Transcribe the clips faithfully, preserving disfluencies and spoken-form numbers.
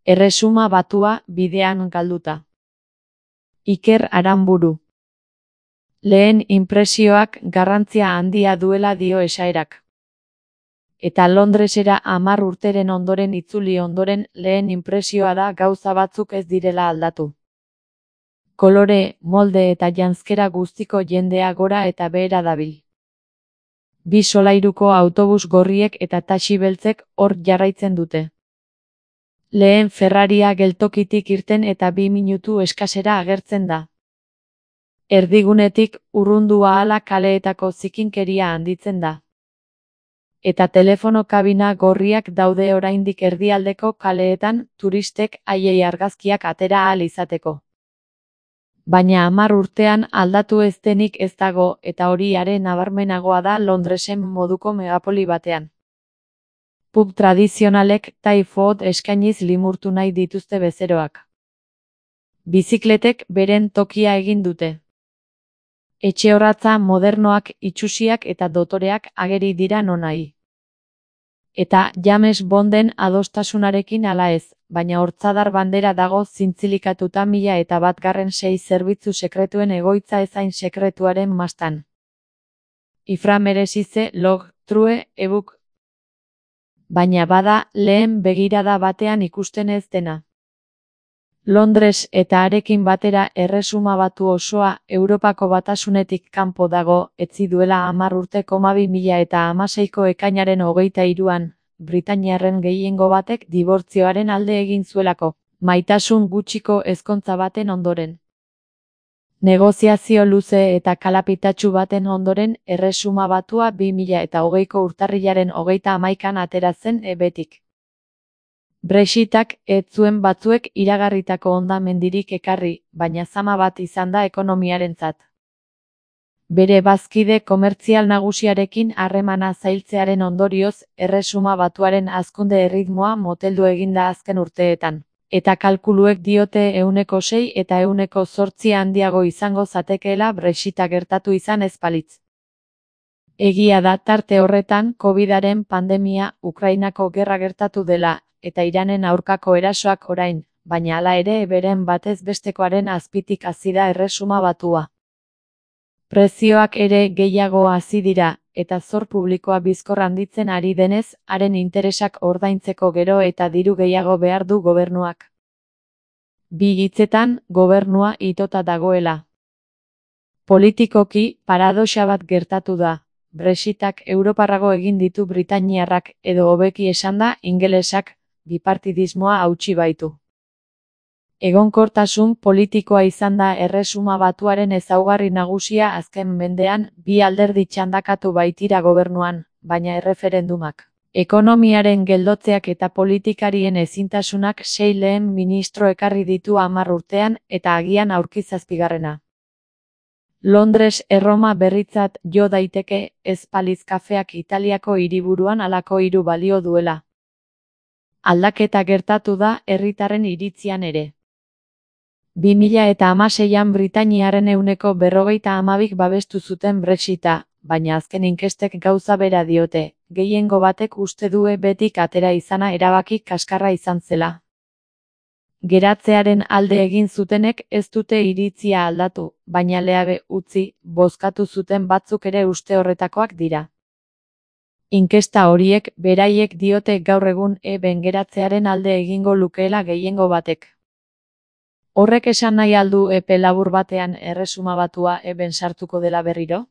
Erresuma Batua bidean galduta. Iker Aranburu. Lehen inpresioak garrantzia handia duela dio esaerak. Eta Londresera hamar urteren ondoren itzuli ondoren lehen inpresioa da gauza batzuk ez direla aldatu. Kolore, molde eta janzkera guztiko jendea gora eta behera dabil. Bi solairuko autobus gorriek eta taxi beltzek hor jarraitzen dute. Lehen Ferraria geltokitik irten eta bi minutu eskasera agertzen da. Erdigunetik urrundu ahala kaleetako zikinkeria handitzen da. Eta telefono kabina gorriak daude oraindik erdialdeko kaleetan turistek haiei argazkiak atera ahal izateko. Baina hamar urtean aldatu ez denik ez dago eta hori are nabarmenagoa da Londresen moduko megapoli batean. Pub tradizionalek Thai food eskainiz limurtu nahi dituzte bezeroak. Bizikletek beren tokia egin dute. Etxehoratza modernoak, itsusiak eta dotoreak ageri dira nonahi. Eta James Bonden adostasunarekin ala ez, baina hortzadar bandera dago zintzilikatuta mila eta batgarren sei zerbitzu sekretuen egoitza ezain sekretuaren mastan. Ifra merezize log, true, ebuk. Baina bada lehen begirada batean ikusten ez dena. Londres eta harekin batera Erresuma Batu osoa Europako Batasunetik kanpo dago, etzi duela hamar urte koma bi mila eta hamaseiko ekainaren hogeita hiruan, Britainiarren gehiengo batek dibortzioaren alde egin zuelako, maitasun gutxiko ezkontza baten ondoren. Negoziazio luze eta kalapitatsu baten ondoren Erresuma Batua bi mila eta hogeiko urtarrilaren hogeita hamaikan atera zen ebetik. Brexitak ez zuen batzuek iragarritako hondamendirik ekarri, baina zama bat izan da ekonomiarentzat. Bere bazkide komertzial nagusiarekin harremana zailtzearen ondorioz, Erresuma Batuaren hazkunde erritmoa moteldu eginda azken urteetan, eta kalkuluek diote ehuneko sei eta ehuneko zortzi handiago izango zatekeela Brexita gertatu izan ez balitz. Egia da tarte horretan Covidaren pandemia, Ukrainako gerra gertatu dela, eta Iranen aurkako erasoak orain, baina hala ere beren batez bestekoaren azpitik hazi da Erresuma Batua. Prezioak ere gehiago hazi dira, eta zor publikoa bizkor handitzen ari denez, haren interesak ordaintzeko gero eta diru gehiago behar du gobernuak. Bi hitzetan, gobernua itota dagoela. Politikoki, paradoxa bat gertatu da. Brexitak europarrago egin ditu britainiarrak edo hobeki esanda ingelesak, bipartidismoa hautsi baitu. Egonkortasun politikoa izan da Erresuma Batuaren ezaugarri nagusia azken mendean, bi alderdi txandakatu baitira gobernuan, baina erreferendumak, ekonomiaren geldotzeak eta politikarien ezintasunak sei lehen ministro ekarri ditu hamar urtean eta agian aurki zazpigarrena. Londres Erroma berritzat jo daiteke, ez balitz kafeak Italiako hiriburuan halako hiru balio duela. Aldaketa gertatu da herritarren iritzian ere. bi mila eta hamaseian Britainiarren ehuneko berrogeita hamabik babestu zuten Brexita, baina azken inkestek gauza bera diote, gehiengo batek uste due betik atera izana erabaki kaskarra izan zela. Geratzearen alde egin zutenek ez dute iritzia aldatu, baina leabe utzi, bozkatu zuten batzuk ere uste horretakoak dira. Inkesta horiek beraiek diote gaur egun eben geratzearen alde egingo lukeela gehiengo batek. Horrek esan nahi aldu epe labur batean Erresuma Batua eben sartuko dela berriro?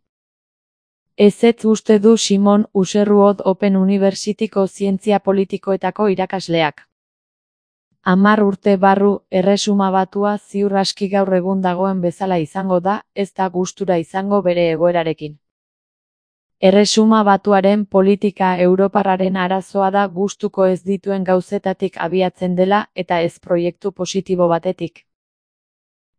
Ezetz uste du Simon Userrood Open Universityko zientzia politikoetako irakasleak. Hamar urte barru Erresuma Batua ziur aski gaur egun dagoen bezala izango da, ez da gustura izango bere egoerarekin. Erresuma Batuaren politika europarraren arazoa da gustuko ez dituen gauzetatik abiatzen dela eta ez proiektu positibo batetik.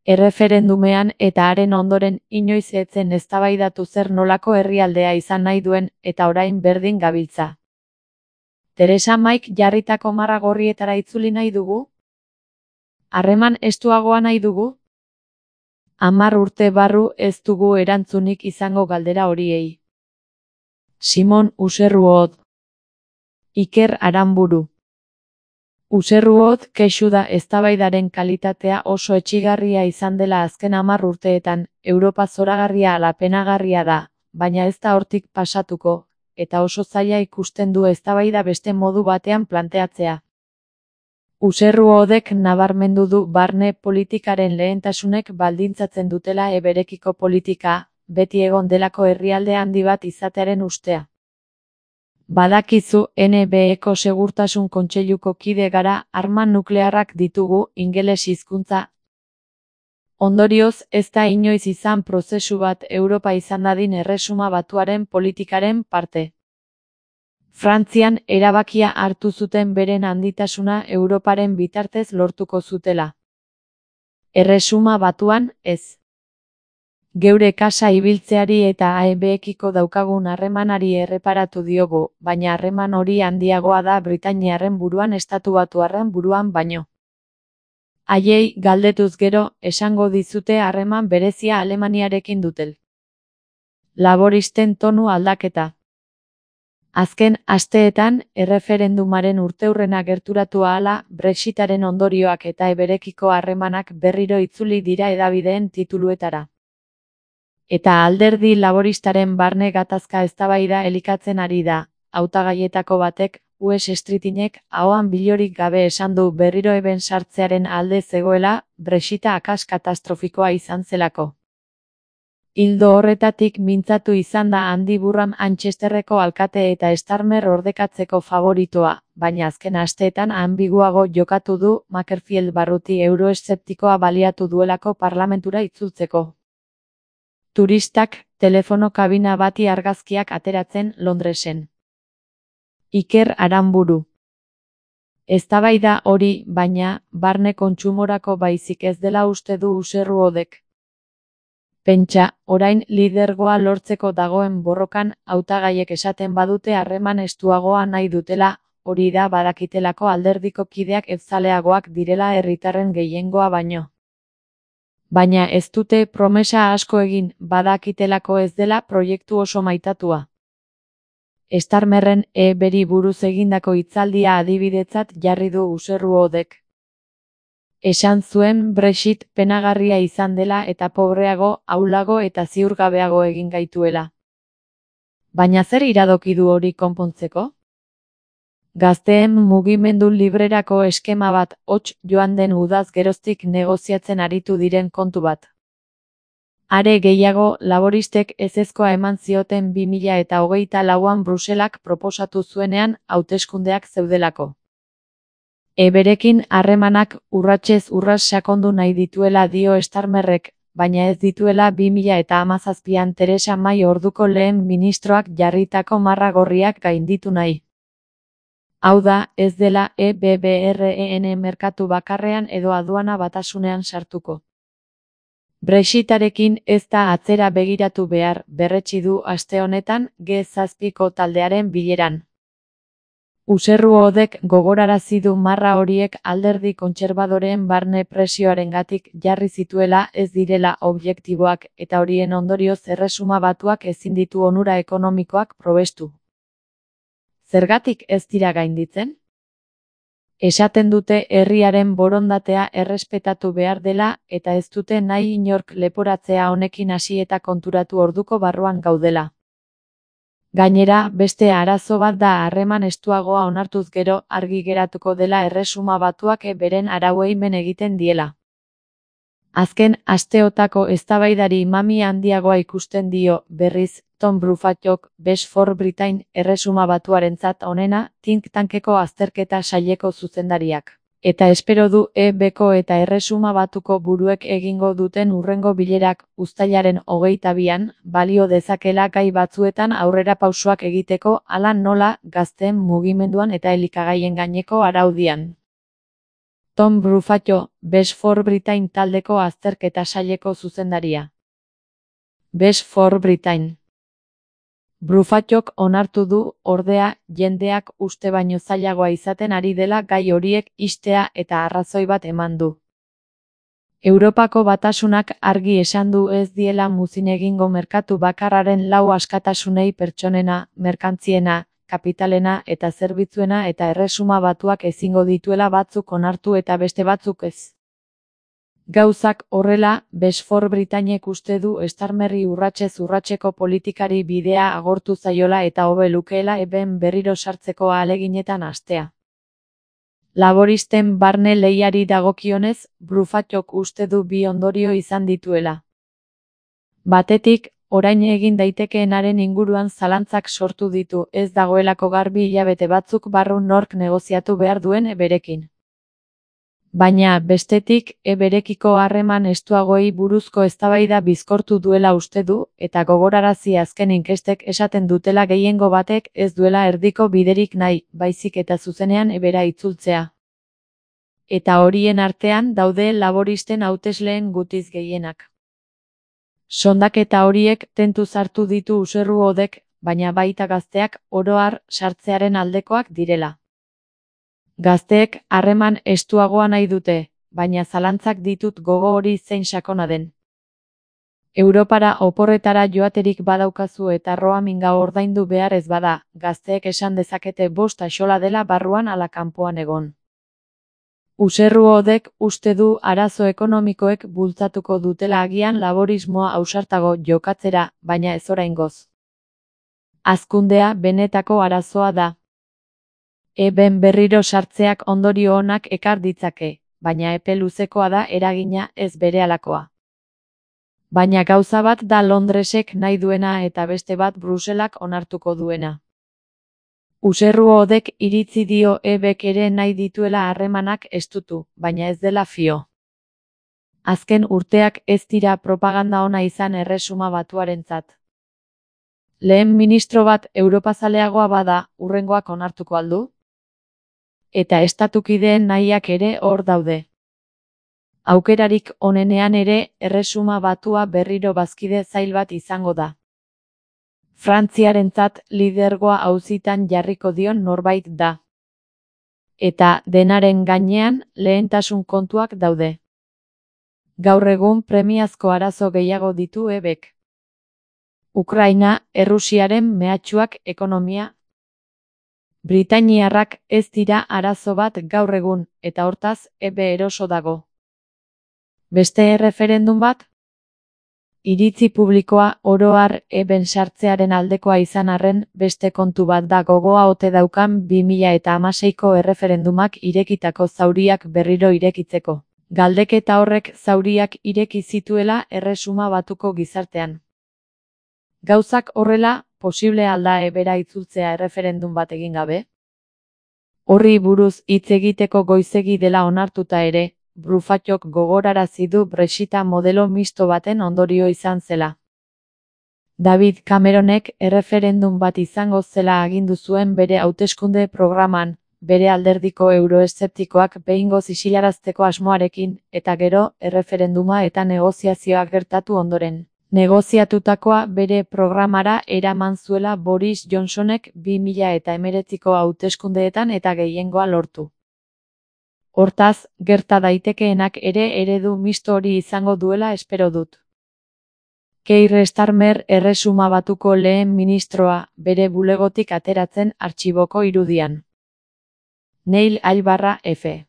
Erreferendumean eta haren ondoren inoiz etzen eztabaidatu zer nolako herrialdea izan nahi duen eta orain berdin gabiltza. Teresa Maik jarritako marra gorrietara itzuli nahi dugu? Harreman estuagoa nahi dugu? Hamar urte barru ez dugu erantzunik izango galdera horiei. Simon Userrood. Iker Aranburu. Userruot kexu da eztabaidaren kalitatea oso etsigarria izan dela azken hamar urteetan, Europa zoragarria ala penagarria da, baina ez da hortik pasatuko, eta oso zaila ikusten du eztabaida beste modu batean planteatzea. Userruodek nabarmendu du barne politikaren lehentasunek baldintzatzen dutela eberekiko politika, beti egon delako herrialde handi bat izatearen ustea. Badakizu N B Eko Segurtasun Kontseiluko kide gara, arma nuklearrak ditugu, ingeles hizkuntza. Ondorioz, ez da inoiz izan prozesu bat Europa izan dadin Erresuma Batuaren politikaren parte. Frantzian erabakia hartu zuten beren handitasuna Europaren bitartez lortuko zutela. Erresuma Batuan, ez. Geure kasa ibiltzeari eta A E Bekiko daukagun harremanari erreparatu diogu, baina harreman hori handiagoa da Britainiarren buruan estatu batuarren buruan baino. Haiei galdetuz gero, esango dizute harreman berezia Alemaniarekin dutel. Laboristen tonu aldaketa. Azken asteetan, erreferendumaren urteurrena gerturatu ahala, Brexitaren ondorioak eta eberekiko harremanak berriro itzuli dira hedabideen tituluetara. Eta alderdi laboristaren barne gatazka eztabaida elikatzen ari da, hautagaietako batek, Wes Streetinek, ahoan bilorik gabe esan du berriro eben sartzearen alde zegoela, Brexita akas katastrofikoa izan zelako. Ildo horretatik mintzatu izan da Andy Burham Manchesterreko alkate eta Starmer ordekatzeko favoritoa, baina azken asteetan anbiguago jokatu du Makerfield barruti euroeszeptikoa baliatu duelako parlamentura itzultzeko. Turistak, telefono kabina bati argazkiak ateratzen Londresen. Iker Aranburu. Eztabaida hori, baina, barne kontsumorako baizik ez dela uste du Userruodek. Pentsa, orain lidergoa lortzeko dagoen borrokan, hautagaiek esaten badute harreman estuagoa nahi dutela, hori da badakitelako alderdiko kideak ezaleagoak direla herritarren gehiengoa baino. Baina ez dute promesa asko egin, badakitelako ez dela proiektu oso maitatua. Starmerren E beri buruz egindako hitzaldia adibidetzat jarri du Userruodek. Esan zuen Brexit penagarria izan dela eta pobreago, ahulago eta ziurgabeago egin gaituela. Baina zer iradoki du hori konpontzeko? Gazteen mugimendu librerako eskema bat, hots joan den udaz geroztik negoziatzen aritu diren kontu bat. Are gehiago, laboristek ezezkoa eman zioten bi mila eta hogeita lauan Bruselak proposatu zuenean hauteskundeak zeudelako. Eberekin harremanak urratsez urras sakondu nahi dituela dio Starmerrek, baina ez dituela bi mila eta hamazazpian Theresa May orduko lehen ministroak jarritako marra gorriak gainditu nahi. Hau da, ez dela E B B R E N merkatu bakarrean edo aduana batasunean sartuko. Brexitarekin ez da atzera begiratu behar, berretsi du aste honetan G zazpiko taldearen bileran. Userruodek gogorarazi du marra horiek alderdi kontserbadoreen barne presioarengatik jarri zituela ez direla objektiboak eta horien ondorioz Erresuma Batuak ezin ditu onura ekonomikoak probestu. Zergatik ez dira gainditzen? Esaten dute herriaren borondatea errespetatu behar dela eta ez dute nahi inork leporatzea honekin hasi eta konturatu orduko barruan gaudela. Gainera, beste arazo bat da harreman estuagoa onartuz gero argi geratuko dela Erresuma Batuak beren arauei men egiten diela. Azken asteotako eztabaidari mami handiagoa ikusten dio, berriz, Tom Bruffattok, Best for Britain, Erresuma Batuarentzat onena, think tankeko azterketa saileko zuzendariak. Eta espero du E Bko eta Erresuma Batuko buruek egingo duten hurrengo bilerak uztailaren hogeita bian, balio dezakela gai batzuetan aurrera pausoak egiteko hala nola gazteen mugimenduan eta elikagaien gaineko araudian. Tom Bruffatto, Best for Britain taldeko azterketa saileko zuzendaria. Best for Britain. Bruffattok onartu du, ordea, jendeak uste baino zailagoa izaten ari dela gai horiek ixtea eta arrazoi bat eman du. Europako Batasunak argi esan du ez diela muzin egingo merkatu bakarraren lau askatasunei pertsonena, merkantziena, kapitalena eta zerbitzuena eta Erresuma Batuak ezingo dituela batzuk onartu eta beste batzuk ez. Gauzak horrela, Besfor Britainek uste du Starmerri urratsez urratseko politikari bidea agortu zaiola eta hobe lukeela eben berriro sartzeko ahaleginetan hastea. Laboristen barne lehiari dagokionez, Bruffatok uste du bi ondorio izan dituela. Batetik, orain egin daitekeenaren inguruan zalantzak sortu ditu, ez dagoelako garbi hilabete batzuk barru nork negoziatu behar duen berekin. Baina, bestetik, berekiko harreman estuagoei buruzko eztabaida bizkortu duela uste du, eta gogorarazi azken inkestek esaten dutela gehiengo batek ez duela erdiko biderik nahi, baizik eta zuzenean ebera itzultzea. Eta horien artean daude laboristen hautesleen gutiz gehienak. Sondaketa horiek tentuz hartu ditu Userruodek, baina baita gazteak oro har sartzearen aldekoak direla. Gazteek harreman estuagoa nahi dute, baina zalantzak ditut gogo hori zein sakona den. Europara oporretara joaterik badaukazu eta roaminga ordaindu behar ez bada, gazteek esan dezakete bost axola dela barruan ala kanpoan egon. Userruodek uste du arazo ekonomikoek bultzatuko dutela agian laborismoa ausartago jokatzera, baina ez oraingoz. Hazkundea benetako arazoa da. Eben berriro sartzeak ondorio onak ekar ditzake, baina epe luzekoa da eragina ez berehalakoa. Baina gauza bat da Londresek nahi duena eta beste bat Bruselak onartuko duena. Userruodek iritzi dio ebek ere nahi dituela harremanak estutu, baina ez dela fio. Azken urteak ez dira propaganda ona izan Erresuma Batuarentzat. Lehen ministro bat europazaleagoa bada, hurrengoak onartuko aldu? Eta estatukideen nahiak ere hor daude. Aukerarik onenean ere, Erresuma Batua berriro bazkide zail bat izango da. Frantziarentzat lidergoa auzitan jarriko dion norbait da. Eta denaren gainean lehentasun kontuak daude. Gaur egun premiazko arazo gehiago ditu ebek. Ukraina, Errusiaren mehatxuak, ekonomia. Britainiarrak ez dira arazo bat gaur egun, eta hortaz ebe eroso dago. Beste erreferendum bat? Iritzi publikoa oro har eben sartzearen aldekoa izan arren beste kontu bat da gogoa ote daukan bi mila hamaseiko erreferendumak irekitako zauriak berriro irekitzeko. Galdeketa horrek zauriak ireki zituela Erresuma Batuko gizartean. Gauzak horrela, posible alda ebera itzultzea erreferendum bat egin gabe? Horri buruz hitz egiteko goizegi dela onartuta ere, Bruffatok gogorarazi du Brexita modelo misto baten ondorio izan zela. David Cameronek erreferendum bat izango zela agindu zuen bere hauteskunde programan, bere alderdiko euroeszeptikoak behingoz isilarazteko asmoarekin, eta gero erreferenduma eta negoziazioak gertatu ondoren. Negoziatutakoa bere programara eraman zuela Boris Johnsonek bi mila hemeretziko hauteskundeetan eta gehiengoa lortu. Hortaz, gerta daitekeenak ere eredu misto hori izango duela espero dut. Keir Starmer Erresuma Batuko lehen ministroa, bere bulegotik ateratzen artxiboko irudian. Neil Albarra F.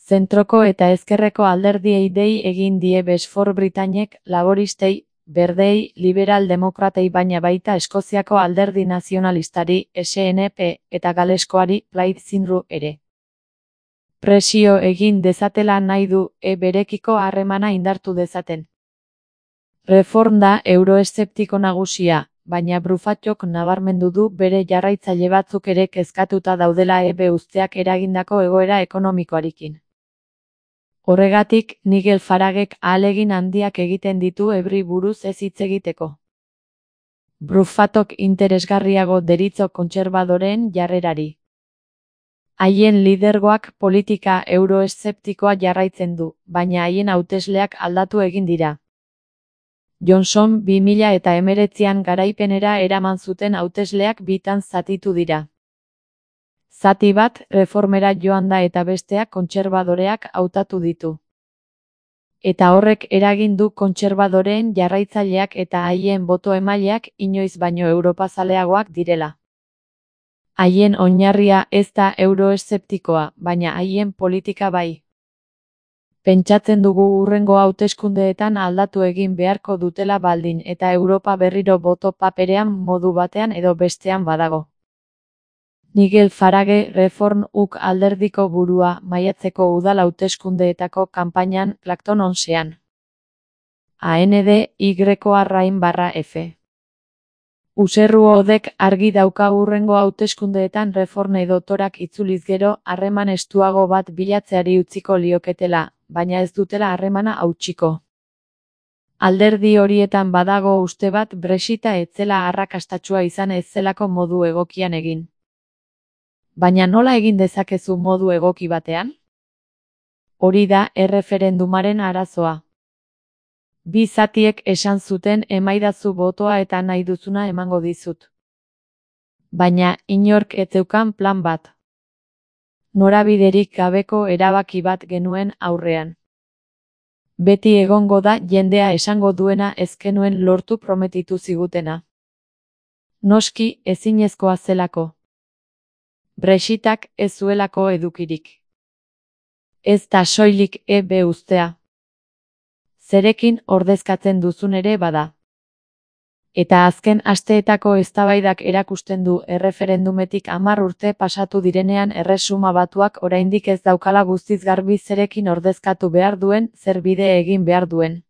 Zentroko eta ezkerreko alderdiei dei egin die Besfor Britainek, laboristei, berdei, liberal-demokratei baina baita Eskoziako alderdi nazionalistari, S N P, eta galeskoari, Plaid Cymru ere. Presio egin dezatela nahi du e berekiko harremana indartu dezaten. Reform da euroeszeptiko nagusia, baina Bruffatok nabarmendu du bere jarraitzaile batzuk ere kezkatuta daudela ebe uzteak eragindako egoera ekonomikoarekin. Horregatik, Nigel Faragek ahalegin handiak egiten ditu ebri buruz ez hitz egiteko. Bruffatok interesgarriago deritzo kontserbadoreen jarrerari. Haien lidergoak politika euroeszeptikoa jarraitzen du, baina haien hautesleak aldatu egin dira. Johnson bi mila hemeretzian garaipenera eraman zuten hautesleak bitan zatitu dira. Zati bat reformera joan da eta besteak kontserbadoreak hautatu ditu. Eta horrek eragin du kontserbadoreen jarraitzaileak eta haien boto emaileak inoiz baino europazaleagoak direla. Haien oinarria ez da euroeszeptikoa, baina haien politika bai. Pentsatzen dugu hurrengo hauteskundeetan aldatu egin beharko dutela baldin eta Europa berriro boto paperean modu batean edo bestean badago. Nigel Farage, Reform U K alderdiko burua, maiatzeko udal hauteskundeetako kanpainan, Clacton onsean. A N D Y arrain barra F. Userruodek argi dauka hurrengo hauteskundeetan Reform edotorak itzuliz gero, harreman estuago bat bilatzeari utziko lioketela, baina ez dutela harremana hautsiko. Alderdi horietan badago uste bat Brexita ez zela arrakastatsua izan ez zelako modu egokian egin. Baina nola egin dezakezu modu egoki batean? Hori da erreferendumaren arazoa. Bi zatiek esan zuten emaidazu botoa eta nahi duzuna emango dizut. Baina inork ez zeukan plan bat. Norabiderik gabeko erabaki bat genuen aurrean. Beti egongo da jendea esango duena ez genuen lortu prometitu zigutena. Noski ezinezkoa zelako. Brexitak ez zuelako edukirik. Ez da soilik E B ustea. Zerekin ordezkatzen duzun ere bada. Eta azken asteetako eztabaidak erakusten du erreferendumetik hamar urte pasatu direnean Erresuma Batuak oraindik ez daukala guztiz garbi zerekin ordezkatu behar duen, zer bide egin behar duen.